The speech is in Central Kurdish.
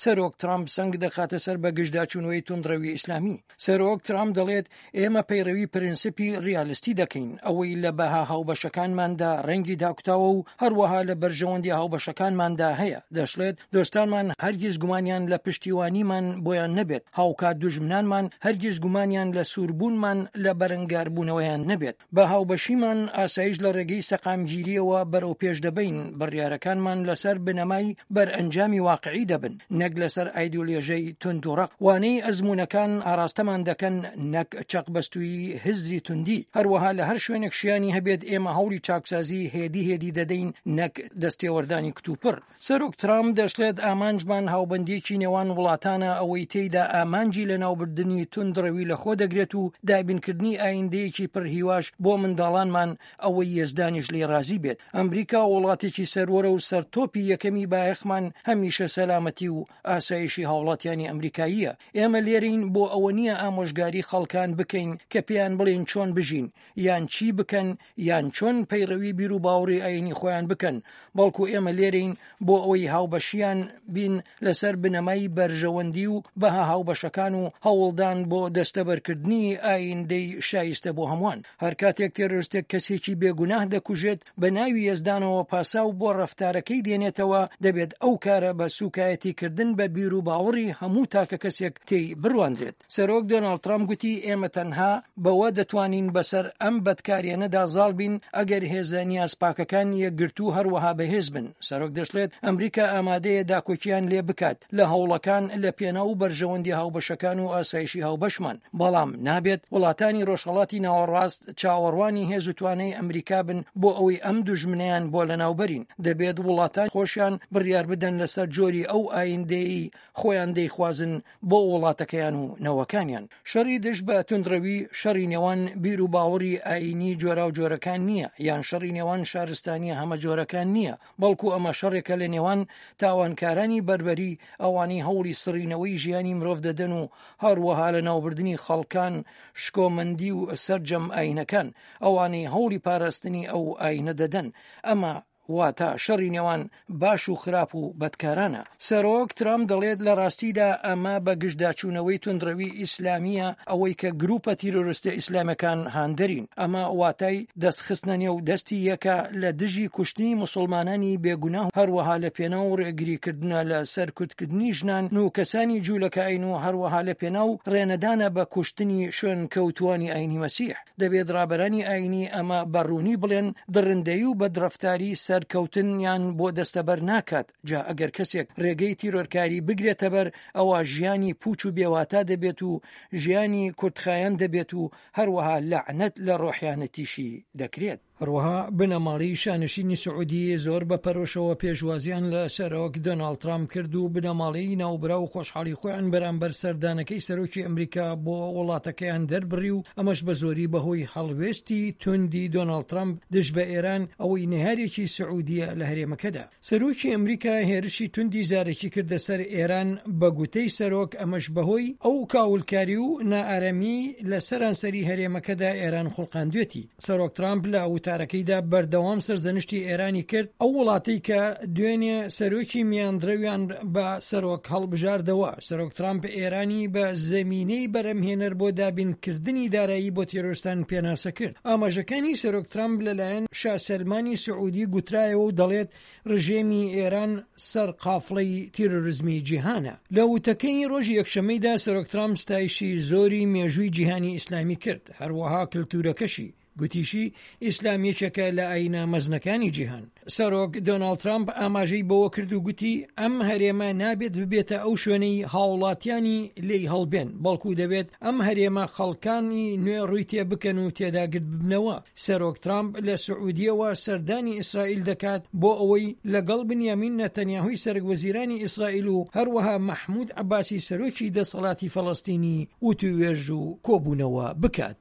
سەرۆک ترامپ سەنگ دەخاتە سەر بەگژداچوونەوەی توندڕەوی ئیسلامی. سەرۆک ترامپ دەڵێت، ئێمە پەیڕەوی پرنسپی ڕیالستی دەکەین، ئەوەی لە بەها هاوبەشەکانماندا ڕەنگی داکوتاوە و هەروەها لە بەرژەوەندیە هاوبەشەکانماندا هەیە. دەشڵێت، دۆستانمان هەرگیز گومانیان لە پشتیوانیمان بۆیان نەبێت، هاوکات دوژمنانمان هەرگیز گومانیان لە سووربوونمان لە بەرەنگاربوونەوەیان نەبێت. بە هاوبەشیمان ئاسایش لە ڕێگەی سەقامگیرییەوە بەرەوپێش دەبەین، بڕیارەکانمان لەسەر بنەمای بەرئەنجامی واقعی دەبن، نەک لەسەر ئایدۆلۆژیای توند و ڕەق. وانەی ئەزموونەکان ئاراستەمان دەکەن نەک چەقبەستوویی هزری توندی. هەروەها لە هەر شوێنێک شیانی هەبێت ئێمە هەوڵی چاکسازی هێدی هێدی دەدەین نەک دەستێوەردانی کتوپڕ. سەرۆک ترامپ دەشڵێت ئامانجمان هاوبەندییەکی نێوان وڵاتانە ئەوەی تێیدا ئامانجی لەناوبردنی توندڕەوی لەخۆ دەگرێت و دابینکردنی ئایندەیەکی پڕ هیواش بۆ منداڵانمان ئەوەی یەزدانیش لێی ڕازی بێت. ئەمریکا وڵاتێکی سەروەرە و سەرتۆپی یەکەمی بایەخمان هەمیشە سەلامەتی و ئاسایشی هاوڵاتیانی ئەمریکاییە. ئێمە لێرەین بۆ ئەوە نییە ئامۆژگاری خەڵکان بکەین کە پێیان بڵێین چۆن بژین یان چی بکەن یان چۆن پەیڕەوی بیروباوەڕی ئایینی خۆیان بکەن، بەڵکو ئێمە لێرەین بۆ ئەوەی هاوبەشیان بین لەسەر بنەمای بەرژەوەندی و بەها هاوبەشەکان و هەوڵدان بۆ دەستەبەرکردنی ئایندەی شایستە بۆ هەمووان. هەر کاتێک تێرۆرستێک کەسێکی بێگوناه دەکوژێت، بە ناوی یەزدانەوە پاساو بۆ ڕەفتارەکەی دێنێتەوە، دەبێت ئەو کارە بە سووکایەتیکردن بە بیروباوەڕی هەموو تاکەکەسێک تێی بڕوانرێت. سەرۆک دۆناڵد ترەمپ گوتی، ئێمە تەنها بەوە دەتوانین بەسەر ئەم بەدکارییانەدا زاڵ بین ئەگەر هێزە نیازپاکەکان یەکگرتوو هەروەها بەهێز بن. سەرۆک دەشڵێت، ئەمریکا ئامادەیە داکۆکییان لێ بکات لە هەوڵەکان لە پێناو بەرژەوەندی هاوبەشەکان و ئاسایشی هاوبەشمان، بەڵام نابێت وڵاتانی ڕۆژهەڵاتی ناوەڕاست چاوەڕوانی هێز و توانای ئەمریکا بن بۆ ئەوەی ئەم دوژمنەیان بۆ لەناوبەرین. دەبێت وڵاتان خۆشیان بڕیار بدەن لەسەر جۆری ئەو ئایندەیەی خۆیان دەیخوازن بۆ وڵاتەکەیان و نەوەکانیان. شەڕی دژ بە توندڕەوی شەڕی نێوان بیر و باوەڕی ئایینی جۆراوجۆرەکان نییە، یان شەڕی نێوان شارستانییە هەمەجۆرەکان نییە، بەڵکو ئەمە شەڕێکە لە نێوان تاوانکارانی بەربەری، ئەوانەی هەوڵی سڕینەوەی ژیانی مرۆڤ دەدەن و هەروەها لەناوبردنی خەڵکان، شکۆمەندی و سەرجەم ئایینەکان، ئەوانەی هەوڵی پاراستنی ئەو ئایینە دەدەن. ئەمە واتە شەڕی نێوان باش و خراپ و بەدکارانە. سەرۆک ترامپ دەڵێت لە ڕاستیدا ئەمە بە گژداچوونەوەی توندڕەوی ئیسلامییە، ئەوەی کە گروپە تیرۆرستە ئیسلامەکان هاندەرین. ئەمە واتای دەستخستنە نێو دەستی یەکە لە دژی کوشتنی موسڵمانانی بێگوناه هەروەها لە پێناو ڕێگریکردنە لە سەرکوتکردنی ژنان و کەسانی جوولەکەئاین و هەروەها لە پێناو ڕێنەدانە بە کوشتنی شوێنکەوتووانی ئاینی مەسیح. دەبێت ڕابەرانی ئایینی ئەمە بە ڕوونی بڵێن، دڕندەیی و بەدڕەفتاری سەرکەوتنیان بۆ دەستەبەر ناکات، جا ئەگەر کەسێک ڕێگەی تیرۆرکاری بگرێتەبەر ئەوا ژیانی پووچ و بێواتا دەبێت و ژیانی کورتخایەن دەبێت و هەروەها لەعنەت لە ڕۆحیانەتیشی دەکرێت. هەروەها بنەماڵەی شانشینی سعودی زۆر بە پەرۆشەوە پێشوازیان لە سەرۆک دۆناڵد ترامپ کرد و بنەماڵەی ناوبراو خۆشحاڵی خۆیان بەرامبەر سەردانەکەی سەرۆکی ئەمریکا بۆ وڵاتەکەیان دەربڕی و ئەمەش بە زۆری بەهۆی هەڵوێستی توندی دۆناڵد ترامپ دژ بە ئێران ئەوەی نەیارێکی سعودیە لە هەرێمەکەدا. سەرۆکی ئەمریکا هێرشی توندی زارەکی کردە سەر ئێران، بە گوتەی سەرۆک ئەمەش بەهۆی ئەو کاولکاری و نائارامییەی لە سەرانسەری هەرێمەکەدا ئێران خوڵقاندوێتی. سەرۆک ترامپ لە وتارەکەیدا بەردەوام سەرزەنشتی ئێرانی کرد، ئەو وڵاتەی کە دوێنێ سەرۆکی میانڕەویان بە سەرۆک هەڵبژاردەوە. سەرۆک ترامپ ئێرانی بە زەمینەی بەرهەمهێنەر بۆ دابینکردنی دارایی بۆ تێرۆرستان پێناسە کرد. ئاماژەکانی سەرۆک ترامپ لەلایەن شا سەلمانی سعودی گوترایەوە و دەڵێت ڕژێمی ئێران سەرقافڵەی تیرۆرزمی جیهانە. لە وتەکەی ڕۆژی یەکشەممەیدا سەرۆک ترامپ ستایشی زۆری مێژووی جیهانی ئیسلامی کرد، هەروەها کلتورەکەشی، گوتیشی ئیسلام یەکێکە لە ئایینە مەزنەکانی جیهان. سەرۆک دۆناڵد ترامپ ئاماژەی بەوە کرد و گوتی، ئەم هەرێمە نابێت ببێتە ئەو شوێنەی هاوڵاتیانی لێی هەڵبێن، بەڵکو دەبێت ئەم هەرێمە خەڵکانی نوێ ڕووی تێ بکەن و تێدا گرد ببنەوە. سەرۆک ترامپ لە سعودیەوە سەردانی ئیسرائیل دەکات بۆ ئەوەی لەگەڵ بنیامین نەتەنیاهوی سەرکوەزیرانی ئیسرائیل و هەروەها مەحمود عەباسی سەرۆکی دەسەڵاتی فەڵەستینی وتووێژ و کۆبوونەوە بکات.